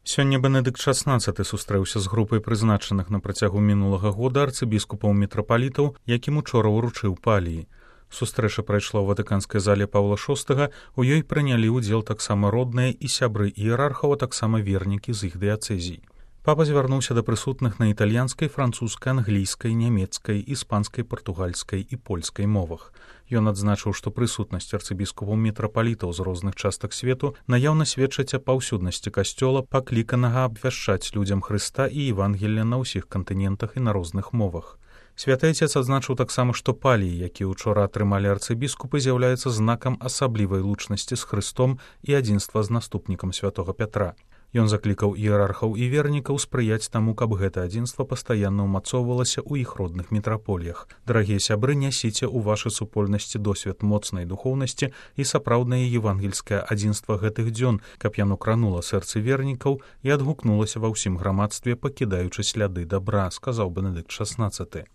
Сёння Бенедыкт XVI сустрэўся з групай прызначаных на працягу мінулага года арцыбіскупаў-мітрапалітаў, якім учора ўручыў паліі. Сустрэча прайшла ў ватыканскай зале Паўла VI, у ёй прынялі ўдзел таксама родныя і сябры іерархаў, а таксама вернікі з іх дыяцэзій. Папа звярнуўся да прысутных на італьянскай, французскай, англійскай, нямецкай, іспанскай, партугальскай і польскай мовах. Ён адзначыў, што прысутнасць арцыбіскупаў-мітрапалітаў з розных частак свету наяўна сведчыць аб паўсюднасці касцёла, пакліканага абвяшчаць людзям Хрыста і Евангелля на ўсіх кантынентах і на розных мовах. Святы Айцец адзначыў таксама, што паліі, якія ўчора атрымалі арцыбіскупы, з'яўляецца знакам асаблівай лучнасці з Хрыстом і адзінства з наступнікам святога Пятра. Ён заклікаў іерархаў і вернікаў спрыяць таму, каб гэта адзінства пастаянна ўмацоўвалася ў іх родных мітрапольях. Дарагія сябры, нясіце ў вашай супольнасці досвед моцнай духоўнасці і сапраўднае евангельскае адзінства гэтых дзён, каб яно кранула сэрцы вернікаў і адгукнулася ва ўсім грамадстве, пакідаючы сляды дабра, сказаў Бенедыкт XVI.